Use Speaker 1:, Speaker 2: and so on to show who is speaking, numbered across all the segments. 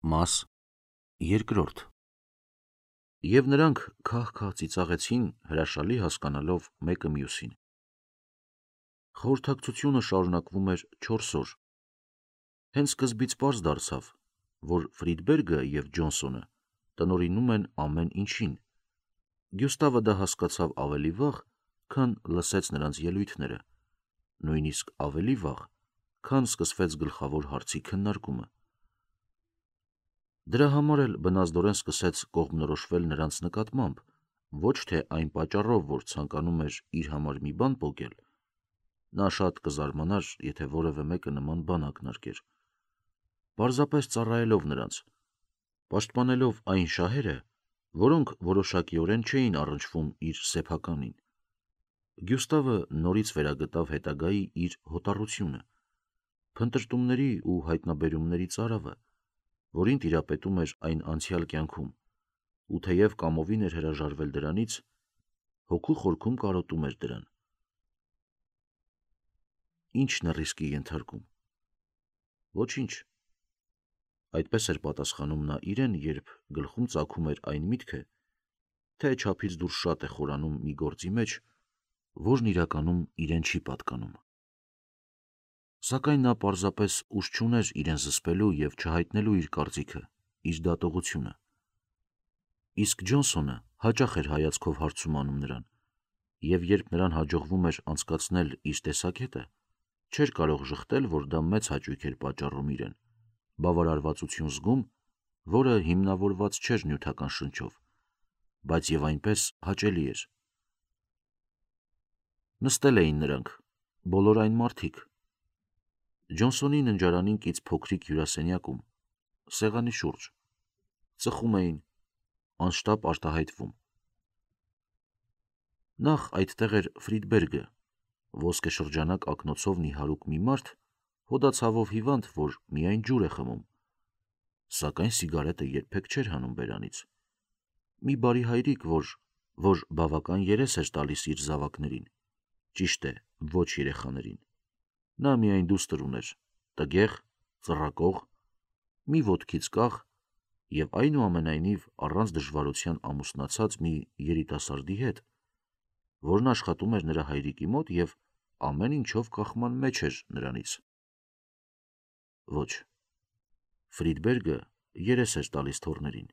Speaker 1: Մաս երկրորդ։ Եվ նրանք քահ-քահ ծիծաղեցին, հրաշալի հասկանալով մեկը մյուսին։ Խորհրդակցությունը շարունակվում էր 4 օր։ Հենց սկզբից պարզ դարձավ, որ Ֆրիդբերգը և Ջոնսոնը տնօրինում են ամեն ինչին։ Գյուստավը դա հասկացավ ավելի վաղ, քան լսեց նրանց ելույթները, նույնիսկ ավելի վաղ, քան սկսվեց գլխավոր հարցի քննարկումը։ Դրա համար էլ բնազդորեն սկսեց կողմնորոշվել նրանց նկատմամբ, ոչ թե այն պատճառով, որ ցանկանում էր իր համար մի բան պոկել, նա շատ կզարմանար, եթե որևէ մեկը նման բան ակնարկեր, պարզապես ծառայելով նրանց, պաշտպանելով այն շահերը, որոնք որոշակիորեն չէին առնչվում իր սեփականին։ Գյուստավը նորից վերագտավ հետագայի իր հոտառությունը, փնտրտումների ու հայտնաբերումների ծարավը, որին տիրապետում էր այն անցյալ կյանքում, ու թեև կամովին էր հրաժարվել դրանից, հոգու խորքում կարոտում էր դրան։ Ի՞նչն է ռիսկի ենթարկում։ Ոչինչ։ Այդպես էր պատասխանում նա իրեն, երբ գլխում ծագում էր այն միտքը, թե չափից դուրս շատ է խորանում մի գործի մեջ, որն իրականում իրեն չի պատկանում։ Սակայն նա պարզապես ուժ չուներ իրեն զսպելու և չհայտնելու իր կարծիքը, իր դատողությունը։ Իսկ Ջոնսոնը հաճախ էր հայացքով հարցում անում նրան, և երբ նրան հաջողվում էր անցկացնել իր տեսակետը, չէր կարող ժխտել, որ դա մեծ հաճույք էր պատճառում իրեն, բավարարվածություն զգում, որը հիմնավորված չէր նյութական շնչով, բայց և այնպես հաճելի էր։ Նստել էին նրանք, բոլոր այն մարդիկ, Ջոնսոնի ննջարանին կից փոքրիկ հյուրասենյակում, սեղանի շուրջ, ծխում էին, անշտապ արտահայտվում։ Նախ այդտեղ էր Ֆրիդբերգը, ոսկեշրջանակ ակնոցով նիհարուկ մի մարդ, հոդացավով հիվանդ, որ միայն ջուր է խմում, սակայն սիգարետը երբեք չէր հանում բերանից։ Մի բարի հայրիկ, որ բավական երես էր տալիս իր զավակներին, ճիշտ է, ոչ երեխաներին։ Նա միայն դուստր ուներ, տգեղ, ծռակող, մի ոտքից կախ և այնուամենայնիվ առանց դժվարության ամուսնացած մի երիտասարդի հետ, որն աշխատում էր նրա հայրիկի մոտ և ամեն ինչով կախման մեջ էր նրանից։ Ոչ, Ֆրիդբերգը երես էր տալիս թոռներին,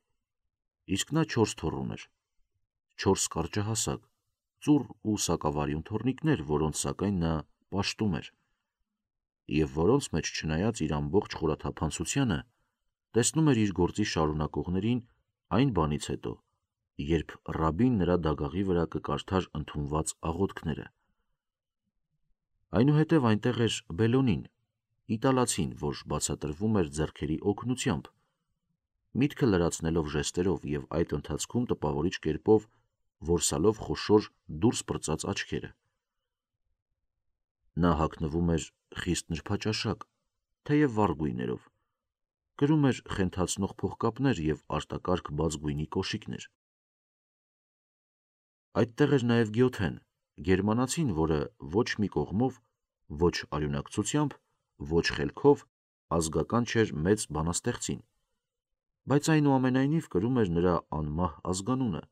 Speaker 1: իսկ նա 4 թոռ ուներ, 4 կարճահասակ, ծուռ ու սակավարյուն թոռնիկներ, որոնց սակայն նա պաշտում էր, և որոնց մեջ, չնայած իր ամբողջ խորաթափանցությանը, տեսնում էր իր գործի շարունակողներին այն բանից հետո, երբ ռաբին նրա դագաղի վրա կկարդար ընդունված աղոթքները։ Այնուհետև այնտեղ էր Բելոնին, իտալացին, որ բացատրվում էր ձեռքերի օգնությամբ, միտքը լրացնելով ժեստերով և այդ ընթացքում տպավորիչ կերպով որսալով խոշոր դուրս պրծած աչքերը։ Նա հագնվում էր խիստ նրբաճաշակ, թեև վառ գույներով, կրում էր խենթացնող փողկապներ և արտակարգ բաց գույնի կոշիկներ։ Այդտեղ էր նաև Գյոթեն, գերմանացին, որը ոչ մի կողմով, ոչ արյունակցությամբ, ոչ խելքով ազգական չէր մեծ բանաստեղծին, բայց այնուամենայնիվ կրում էր նրա անմահ ազգանունը,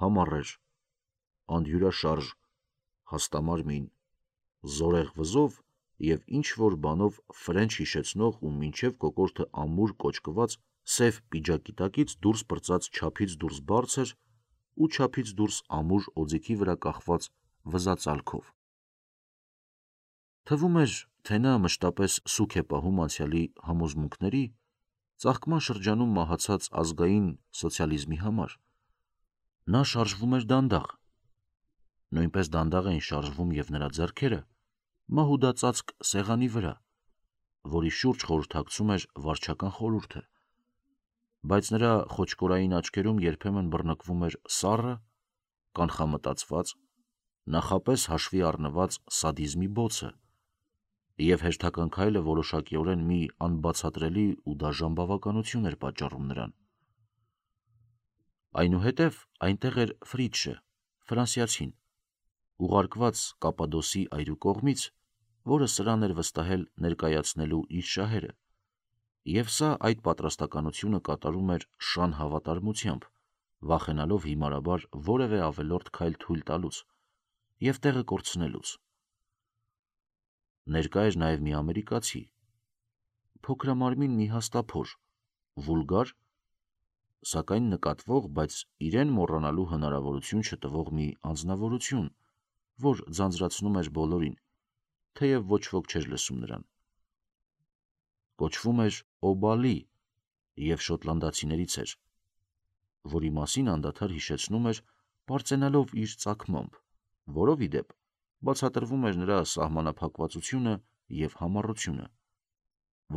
Speaker 1: համառ էր, անդյուրաշարժ, հաստամարմին, զորեղ վզով և ինչ-որ բանով ֆրենչ հիշեցնող ու մինչև կոկորդը ամուր կոճկված սև պիջակի տակից դուրս պրծած չափից դուրս բարձր ու չափից դուրս ամուր օձիքի վրա կախված վզածալքով։ Թվում էր, թե նա մշտապես սուգ է պահում անցյալի համոզմունքների, ծաղկման շրջանում մահացած ազգային սոցիալիզմի համար։ Նա շարժվում էր դանդաղ, նույնպես դանդաղ էին շարժվում և նրա ձեռքերը մահուդածածկ սեղանի վրա, որի շուրջ խորհրդակցում էր վարչական խորհուրդը, բայց նրա խոճկորային աչքերում երբեմն բռնկվում էր սառը, կանխամտածված, նախապես հաշվի առնված սադիզմի բոցը, և հերթական քայլը որոշակիորեն մի անբացատրելի ու դաժան բավականություն էր պատճառում նրան։ Այնուհետև այնտեղ էր Ֆրիդշը, ֆրանսիացին, ուղարկված Կապադոսի այրու կողմից, որը սրան էր վստահել ներկայացնելու իր շահերը, Եվ սա այդ պատրաստականությունը կատարում էր շան հավատարմությամբ, վախենալով հիմարաբար որևէ ավելորդ քայլ թույլ տալուց և տեղը կորցնելուց։ Ներկա էր նաև մի ամերիկացի, փոքրամարմին մի հաստափոր, վուլգար, սակայն նկատվող, բայց իրեն մոռանալու հնարավորություն չտվող մի անձնավորություն, որ ձանձրացնում էր բոլորին, թեև ոչ ոք չէր լսում նրան։ Կոչվում էր Օբալի և շոտլանդացիներից էր, որի մասին անդադար հիշեցնում էր, պարծենալով իր ծագմամբ, որով ի դեպ բացատրվում էր նրա սահմանափակվածությունը և համառությունը,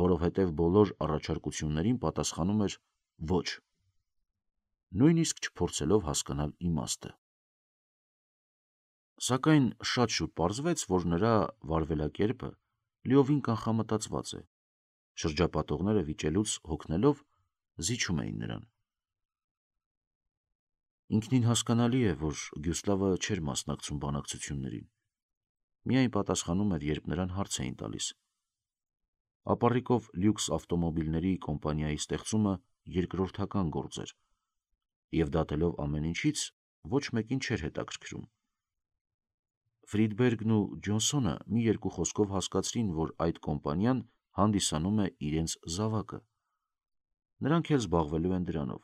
Speaker 1: որովհետև բոլոր առաջարկություններին պատասխանում էր ոչ, նույնիսկ չփորձելով հասկանալ իմաստը։ Սակայն շատ շուտ պարզվեց, որ նրա վարվելակերպը լիովին կանխամտածված է, շրջապատողները վիճելուց հոգնելով զիջում էին նրան։ Ինքնին հասկանալի է, որ Գյուստավը չէր մասնակցում բանակցություններին, միայն պատասխանում էր, երբ նրան հարց էին տալիս։ Ապառիկով լյուքս ավտոմոբիլների կոմպանիայի ստեղծումը երկրորդական գործ էր, և դատելով ամեն ինչից ոչ մեկին չէր հետաքրքրում։ Ֆրիդբերգն ու Ջոնսոնը մի երկու խոսքով հասկացրին, որ այդ կոմպանիան հանդիսանում է իրենց զավակը։ Նրանք էլ զբաղվելու են դրանով։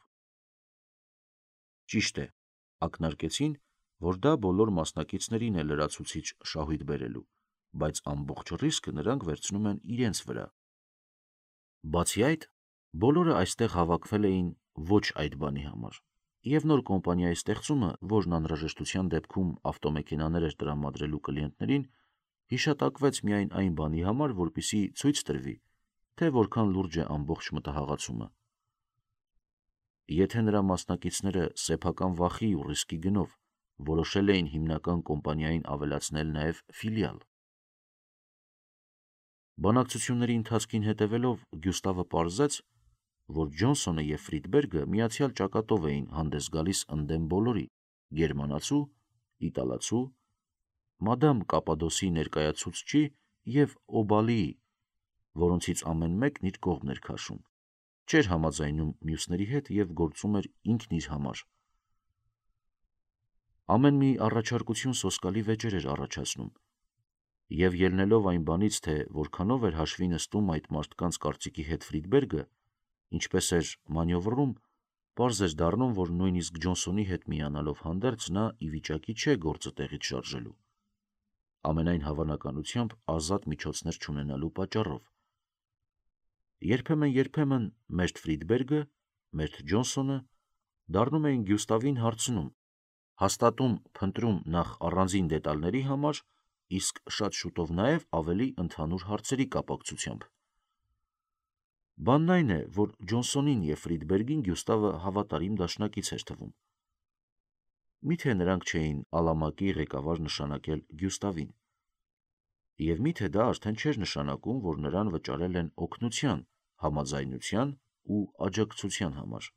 Speaker 1: Ճիշտ է, ակնարկեցին, որ դա բոլոր մասնակիցներին է լրացուցիչ շահույթ բերելու, բայց ամբողջ ռիսկը նրանք վերցնում են իրենց վրա։ Բացի այդ, բոլորը այստեղ հավաքվել էին ոչ այդ բանի համար, և նոր կոմպանիայի ստեղծումը, որն անհրաժեշտության դեպքում ավտոմեքենաներ էր տրամադրելու կլիենտներին, հիշատակվեց միայն այն բանի համար, որպեսզի ցույց տրվի, թե որքան լուրջ է ամբողջ մտահաղացումը։ Եթե նրա մասնակիցները սեփական վախի ու ռիսկի գնով որոշել էին հիմնական կոմպանիային ավելացնել նաև ֆիլիալ։ Բանակցությունների ընթացքին հետևելով Գյուստավը պարզեց, որ Ջոնսոնը և Ֆրիդբերգը միացյալ ճակատով էին հանդես գալիս ընդդեմ բոլորի՝ գերմանացու, իտալացու, մադամ Կապադոսի ներկայացուցչի և Օբալիի, որոնցից ամեն մեկն իր կողմն էր քաշում, չէր համաձայնում մյուսների հետ և գործում էր ինքն իր համար։ Ամեն մի առաջարկություն սոսկալի վեճեր էր առաջացնում, և ելնելով այն բանից, թե որքանով էր հաշվի նստում այդ մարդկանց կարծիքի հետ Ֆրիդբերգը, ինչպես էր մանյովրում, պարզ էր դառնում, որ նույնիսկ Ջոնսոնի հետ միանալով հանդերձ նա ի վիճակի չէ գործը տեղից շարժելու, ամենայն հավանականությամբ ազատ միջոցներ չունենալու պատճառով։ Երբեմն մերթ Ֆրիդբերգը, մերթ Ջոնսոնը դառնում էին Գյուստավին հարցնում, հաստատում փնտրում նախ առանձին դետալների համար, իսկ շատ շուտով նաև ավելի ընդհանուր հարցերի կապակցությամբ։ Բանն այն է, որ Ջոնսոնին և Ֆրիդբերգին Գյուստավը հավատարիմ դաշնակից էր թվում։ Միթե նրանք չէին Ալամակի ղեկավար նշանակել Գյուստավին։ Եվ միթե դա արդեն չէր նշանակում, որ նրան վճարել են օգնության, համաձայնության ու աջակցության համար։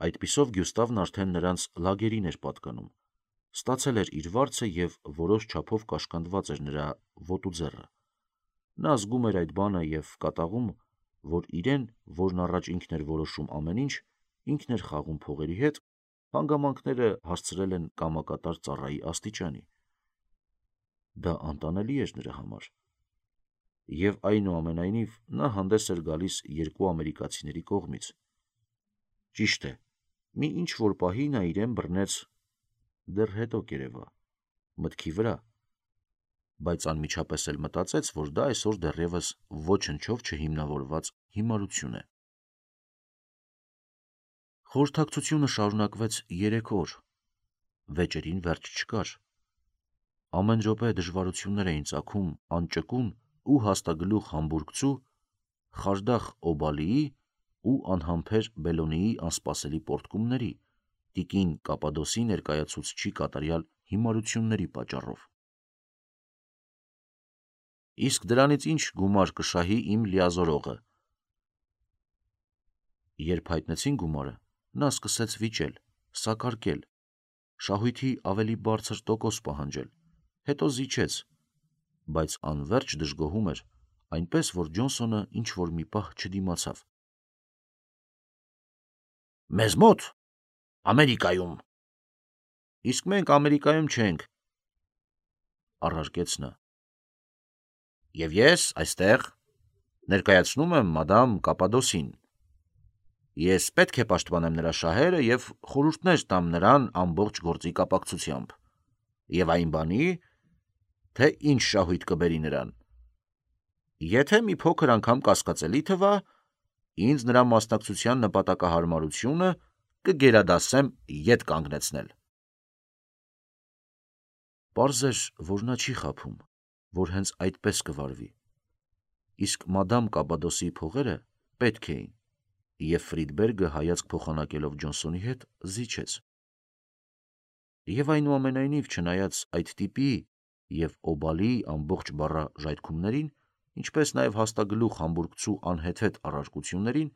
Speaker 1: Այդպիսով Գյուստավն արդեն նրանց լագերին էր պատկանում, ստացել էր իր վարձը և որոշ չափով կաշկանդված էր նրա ոտու ձեռը։ Նա զգում էր այդ բանը և կատաղում, որ իրեն, որն առաջ ինքն էր որոշում ամեն ինչ, ինքն էր խաղում փողերի հետ, հանգամանքները հասցրել են կամակատար ծառայի աստիճանի։ Դա անտանելի էր նրա համար։ Եվ այնուամենայնիվ նա հանդես էր գալիս երկու ամերիկացիների կողմից։ Ճիշտ է, մի ինչ-որ պահի նա իրեն բռնեց «դեռ հետո կերևա» մտքի վրա, բայց անմիջապես էլ մտածեց, որ դա այսօր դեռևս ոչնչով չհիմնավորված հիմարություն է։ Խորհրդակցությունը շարունակվեց 3 օր, վեճերին վերջ չկար։ Ամեն րոպե դժվարություններ էին ծագում անճկուն ու հաստագլուխ համբուրգցու Խարդախ Օբալիի ու անհամբեր Բելոնիի անսպասելի պոռթկումների, տիկին Կապադոսի ներկայացուցչի կատարյալ հիմարությունների պատճառով։ Իսկ դրանից ինչ գումար կշահի իմ լիազորողը։ Երբ հայտնեցին գումարը, նա սկսեց վիճել, սակարկել, շահույթի ավելի բարձր տոկոս պահանջել, հետո զիջեց, բայց անվերջ դժգոհում էր, այնպես, որ Ջոնսոնը ինչ-որ մի պահ չդիմացավ։ «Մեզ մոտ, Ամերիկայում»։ «Իսկ մենք Ամերիկայում չենք», առարկեց նա։ «Եվ ես այստեղ ներկայացնում եմ մադամ Կապադոսին։ Ես պետք է պաշտպանեմ նրա շահերը և խորհուրդներ տամ նրան ամբողջ գործի կապակցությամբ, և այն բանի, թե ինչ շահույթ կբերի նրան։ Եթե մի փոքր անգամ կասկածելի թվա, ինձ նրա մասնակցության նպատակահարմարությունը կգերադասեմ ետ կանգնեցնել»։ Պարզ էր, որ նա չի խաբում, որ հենց այդպես կվարվի, իսկ մադամ Կապադոսի փողերը պետք էին, և Ֆրիդբերգը հայացք փոխանակելով Ջոնսոնի հետ զիջեց։ Եվ այնուամենայնիվ, չնայած այդ տիպի և Օբալիի ամբողջ բառաժայթքումներին, ինչպես նաև հաստագլուխ համբուրգցու անհեթեթ առարկություններին,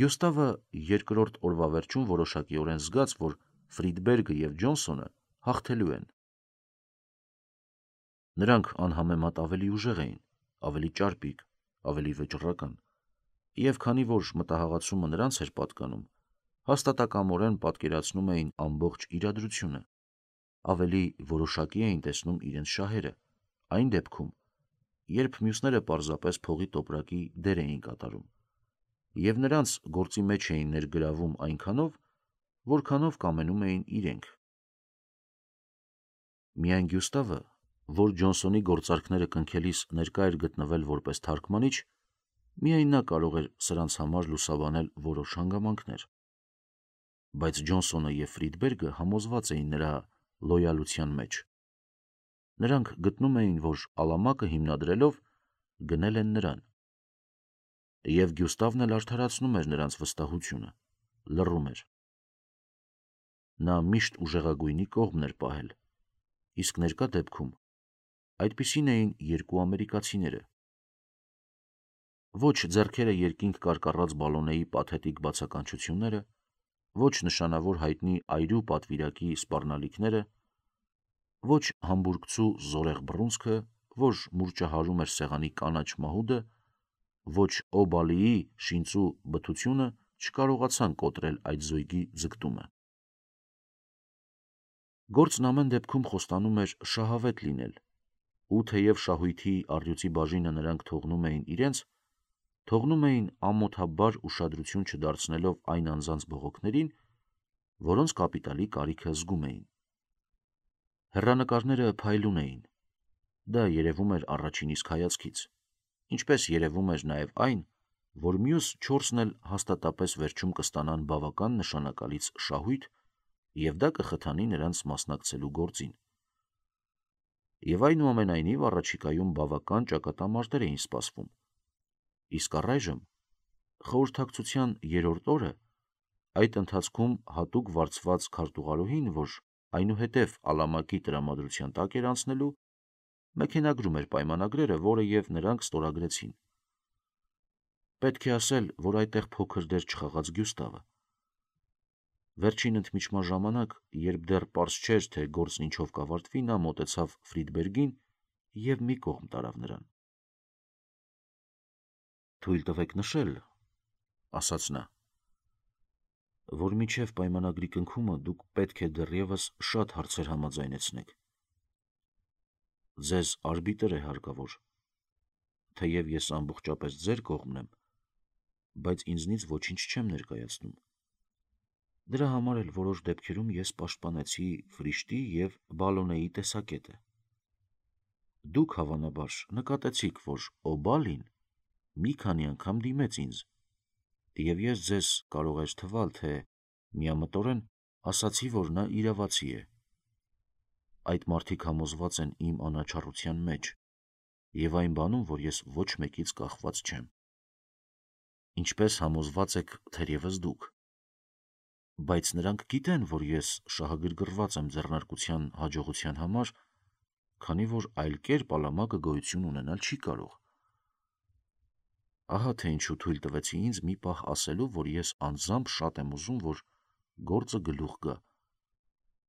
Speaker 1: Գյուստավը երկրորդ օրվա վերջում որոշակիորեն զգաց, որ Ֆրիդբերգը և Ջոնսոնը հաղթելու են։ Նրանք անհամեմատ ավելի ուժեղ էին, ավելի ճարպիկ, ավելի վճռական, և քանի որ մտահաղացումը նրանց էր պատկանում, հաստատակամորեն պատկերացնում էին ամբողջ իրադրությունը, ավելի որոշակի էին տեսնում իրենց շահերը, այն դեպքում, երբ մյուսները պարզապես փողի տոպրակի դեր էին կատարում, և նրանց գործի մեջ էին ներգրավում այնքանով, որքանով կամենում էին իրենք։ Միայն Գյուստավը, որ Ջոնսոնի գործարքները կնքելիս ներկա էր գտնվել որպես թարգմանիչ, միայն նա կարող էր սրանց համար լուսաբանել որոշ հանգամանքներ։ Բայց Ջոնսոնը և Ֆրիդբերգը համոզված էին նրա լոյալության մեջ։ Նրանք գտնում էին, որ ալամակը հիմնադրելով գնել են նրան։ Եվ Գյուստավն էլ արդարացնում էր նրանց վստահությունը, լռում էր։ Նա միշտ ուժեղագույնի կողմն էր պահել, իսկ ներկա դեպքում այդպիսին էին երկու ամերիկացիները։ Ոչ ձեռքերը երկինք կարկառած Բալոնեի պաթետիկ բացականչությունները, ոչ նշանավոր հայտնի այրու պատվիրակի սպառնալիքները, ոչ համբուրգցու զորեղ բռունցքը, որ մուրճահարում էր սեղանի կանաչ մահուդը, ոչ Օբալիի շինծու բթությունը չկարողացան կոտրել այդ զույգի ձգտումը։ Գործն ամեն դեպքում խոստանում էր շահավետ լինել, ու թեև շահույթի առյուծի բաժինը նրանք թողնում էին իրենց, թողնում էին ամոթաբար ուշադրություն չդարձնելով այն անձանց բողոքներին, որոնց կապիտալի կարիքը զգում էին։ Հեռանկարները փայլուն էին։ Դա երևում էր առաջին իսկ հայացքից, ինչպես երևում էր նաև այն, որ մյուս չորսն էլ հաստատապես վերջում կստանան բավական նշանակալից շահույթ, և դա կխթանի նրանց մասնակցելու գործին։ Եվ այնուամենայնիվ առաջիկայում բավական ճակատամարտեր էին սպասվում, իսկ առայժմ, խորհրդակցության երրորդ օրը, այդ ընթացքում հատուկ վարձված քարտուղարուհին, որ այնուհետև ալամակի տրամադրության տակ էր անցնելու, մեքենագրում էր պայմանագրերը, որը և նրանք ստորագրեցին։ Պետք է ասել, որ այդտեղ փոքր դեր չխաղաց Գյուստավը։ Վերջին ընդմիջման ժամանակ, երբ դեռ պարզ չէր, թե գործն ինչով կավարտվի, նա մոտեցավ Ֆրիդբերգին և մի կողմ տարավ նրան։ «Թույլ տվեք նշել», ասաց նա, «որ մինչև պայմանագրի կնքումը դուք պետք է դեռևս շատ հարցեր համաձայնեցնեք։ Ձեզ արբիտր է հարկավոր, թեև ես ամբողջապես ձեր կողմն եմ, բայց ինձնից ոչինչ չեմ ներկայացնում։ Դրա համար էլ որոշ դեպքերում ես պաշտպանեցի Ֆրիշտի և Բալոնեի տեսակետը։ Դուք, հավանաբար, նկատեցիք, որ Օբալին մի քանի անգամ դիմեց ինձ, և ես ձեզ կարող էր թվալ, թե միամտորեն ասացի, որ նա իրավացի է։ Այդ մարդիկ համոզված են իմ անաչառության մեջ և այն բանում, որ ես ոչ մեկից կախված չեմ։ Ինչպես համոզված եք թերևս դուք։ Բայց նրանք գիտեն, որ ես շահագրգռված եմ ձեռնարկության հաջողության համար, քանի որ այլ կերպ ալամակը գոյություն ունենալ չի կարող։ Ահա թե ինչու թույլ տվեցի ինձ մի պահ ասելու, որ ես անձամբ շատ եմ ուզում, որ գործը գլուխ գա,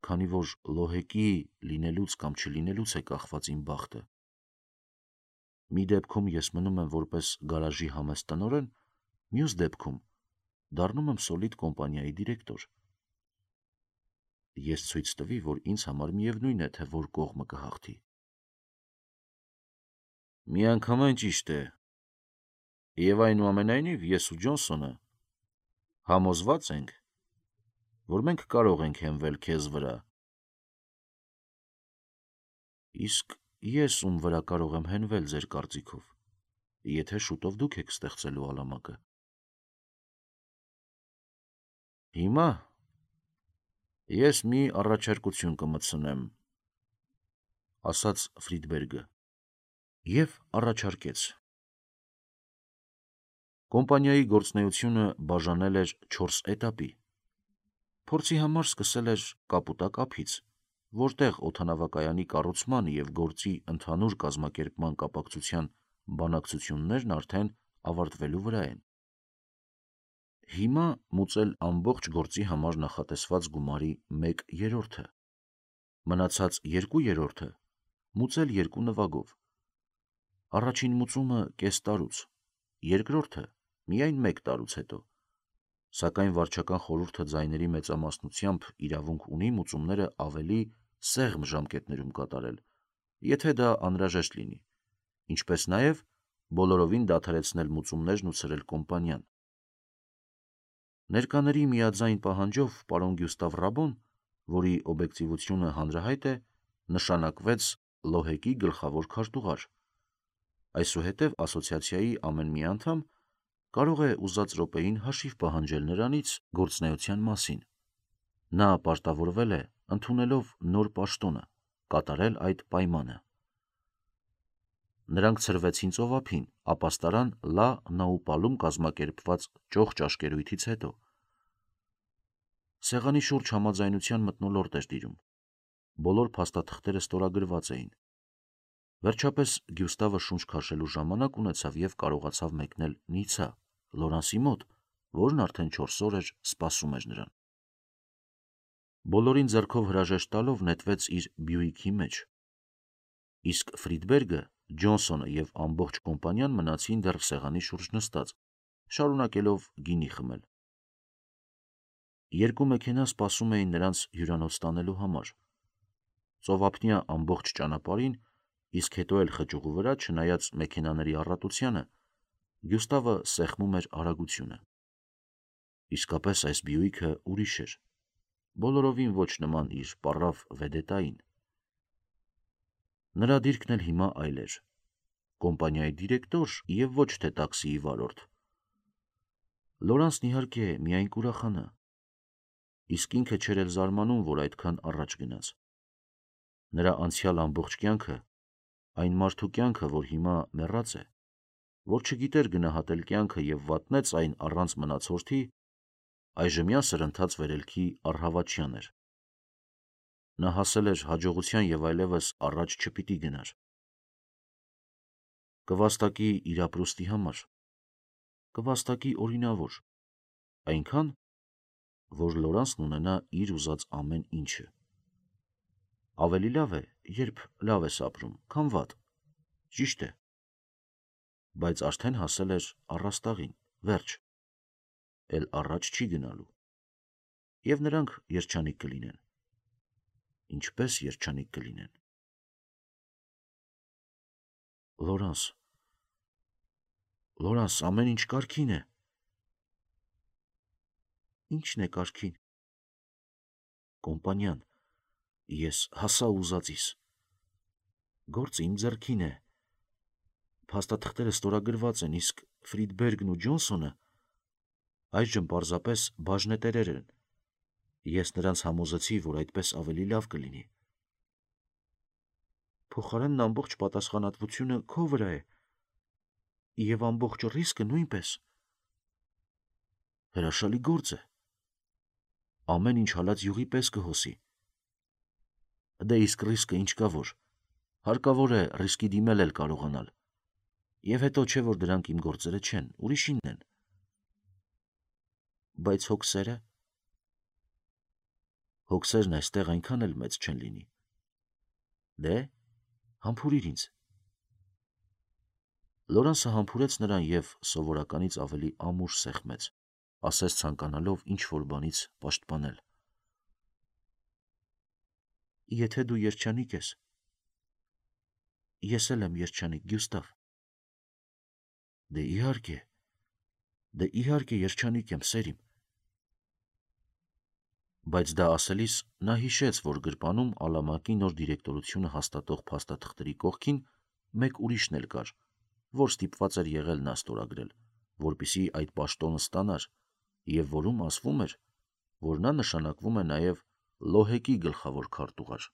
Speaker 1: քանի որ Լոհեկի լինելուց կամ չլինելուց է կախված իմ բախտը։ Մի դեպքում ես մնում եմ որպես գարաժի համեստ տնօրեն, մյուս դեպքում դառնում եմ սոլիդ կոմպանիայի դիրեկտոր։ Ես ցույց տվի, որ ինձ համար միևնույն է, թե որ կողմը կհաղթի։ Միանգամայն ճիշտ է։ Եվ այնուամենայնիվ ես ու Ջոնսոնը համոզված ենք, որ մենք կարող ենք հենվել քեզ վրա։ Իսկ ես ում վրա կարող եմ հենվել ձեր կարծիքով, եթե շուտով դուք եք ստեղծելու ալամակը։ Հիմա ես մի առաջարկություն կմտցնեմ, ասաց Ֆրիդբերգը, և առաջարկեց։ Կոմպանիայի գործունեությունը բաժանել էր 4 էտապի։ Փորձի համար սկսել էր կապուտակ ափից, որտեղ օդանավակայանի կառուցման և գործի ընդհանուր կազմակերպման կապակցության բանակցություններն արդեն ավարտվելու վրա են։ Հիմա մուծել ամբողջ գործի համար նախատեսված գումարի 1/3-ը, մնացած 2/3-ը մուծել 2 նվագով։ Առաջին մուծումը կես տարուց, երկրորդը միայն 1 տարուց հետո, սակայն վարչական խորհուրդը ձայների մեծամասնությամբ իրավունք ունի մուծումները ավելի սեղմ ժամկետներում կատարել, եթե դա անհրաժեշտ լինի, ինչպես նաև բոլորովին դադարեցնել մուծումներն ու ցրել կոմպանիան։ Ներկաների միաձայն պահանջով պարոն Գյուստավ Ռաբոն, որի օբյեկտիվությունը հանրահայտ է, նշանակվեց ԼՈՀԵԿ-ի գլխավոր քարտուղար։ Այսուհետև ասոցիացիայի ամեն մի անդամ կարող է ուզած րոպեին հաշիվ պահանջել նրանից գործունեության մասին։ Նա պարտավորվել է, ընդունելով նոր պաշտոնը, կատարել այդ պայմանը։ Նրանք ցրվեցին ծովափին, ապաստարան Լա Նաուպալում կազմակերպված ճոխ ճաշկերույթից հետո։ Սեղանի շուրջ համաձայնության մթնոլորտ էր տիրում։ Բոլոր փաստաթղթերը ստորագրված էին։ Վերջապես Գյուստավը շունչ քաշելու ժամանակ ունեցավ և կարողացավ մեկնել Նիցա, Լորանսի մոտ, որն արդեն 4 օր էր սպասում էր նրան։ Բոլորին ձեռքով հրաժեշտ տալով նետվեց իր Բյուիկի մեջ։ Իսկ Ֆրիդբերգը, Ջոնսոնը և ամբողջ կոմպանիան մնացին դեռ սեղանի շուրջ նստած, շարունակելով գինի խմել։ Երկու մեքենա սպասում էին նրանց հյուրանոց տանելու համար։ Ծովափնյա ամբողջ ճանապարհին, իսկ հետո էլ խճուղու վրա, չնայած մեքենաների առատությանը, Գյուստավը սեղմում էր արագությունը։ Իսկապես այս Բյուիկը ուրիշ էր, բոլորովին ոչ նման իր պառավ վեդետային։ Նրա դիրքն էլ հիմա այլ էր, կոմպանիայի դիրեկտոր և ոչ թե տաքսիի վարորդ։ Լորանսն իհարկե միայն կուրախանա, իսկ ինքը չէր էլ զարմանում, որ այդքան առաջ գնաց։ Նրա անցյալ ամբողջ կյանքը, այն մարդու կյանքը, որ հիմա մեռած է, որ չգիտեր գնահատել կյանքը և վատնեց այն առանց մնացորդի, այժմյա սրընթաց վերելքի առհավատչյան էր։ Նա հասել էր հաջողության և այլևս առաջ չպիտի գնար։ Կվաստակի իր ապրուստի համար, կվաստակի օրինավոր, այնքան, որ Լորանսն ունենա իր ուզած ամեն ինչը։ Ավելի լավ է, երբ լավ ես ապրում, քան վատ, ճիշտ է, բայց արդեն հասել էր առաստաղին, վերջ, էլ առաջ չի գնալու։ Եվ նրանք երջանիկ կլինեն։ Ինչպես երջանիկ կլինեն։ Լորանս, ամեն ինչ կարգին է։ Ի՞նչն է կարգին։ Կոմպանիան, ես հասա ուզածիս։ Գործը իմ ձեռքին է։ Փաստաթղթերը ստորագրված են, իսկ Ֆրիդբերգն ու Ջոնսոնը այժմ պարզապես բաժնետերեր են։ Ես նրանց համոզեցի, որ այդպես ավելի լավ կլինի։ Փոխարենն ամբողջ պատասխանատվությունը քո վրա է, և ամբողջ ռիսկը նույնպես։ Հրաշալի գործ է։ Ամեն ինչ հալած յուղի պես կհոսի։ Դե իսկ ռիսկը ինչ կա որ։ Հարկավոր է ռիսկի դիմել էլ կարողանալ։ Եվ հետո չէ, որ դրանք իմ գործերը չեն, ուրիշինն են։ Բայց հոգսերը։ Հոգսերն այստեղ այնքան էլ մեծ չեն լինի։ Դե, համբուրիր ինձ։ Լորանսը համբուրեց նրան և սովորականից ավելի ամուր սեղմեց, ասես ցանկանալով ինչ-որ բանից պաշտպանել. «Եթե դու երջանիկ ես, ես էլ եմ երջանիկ, Գյուստավ»։ Դե իհարկե երջանիկ եմ, սեր իմ։ Բայց դա ասելիս նա հիշեց, որ գրպանում Ալամակի նոր դիրեկտորությունը հաստատող փաստաթղթերի կողքին մեկ ուրիշն էլ կար, որ ստիպված էր եղել նա ստորագրել, որպեսզի այդ պաշտոնը ստանար, և որում ասվում էր, որ նա նշանակվում է նաև Լոհեկի գլխավոր քարտուղար։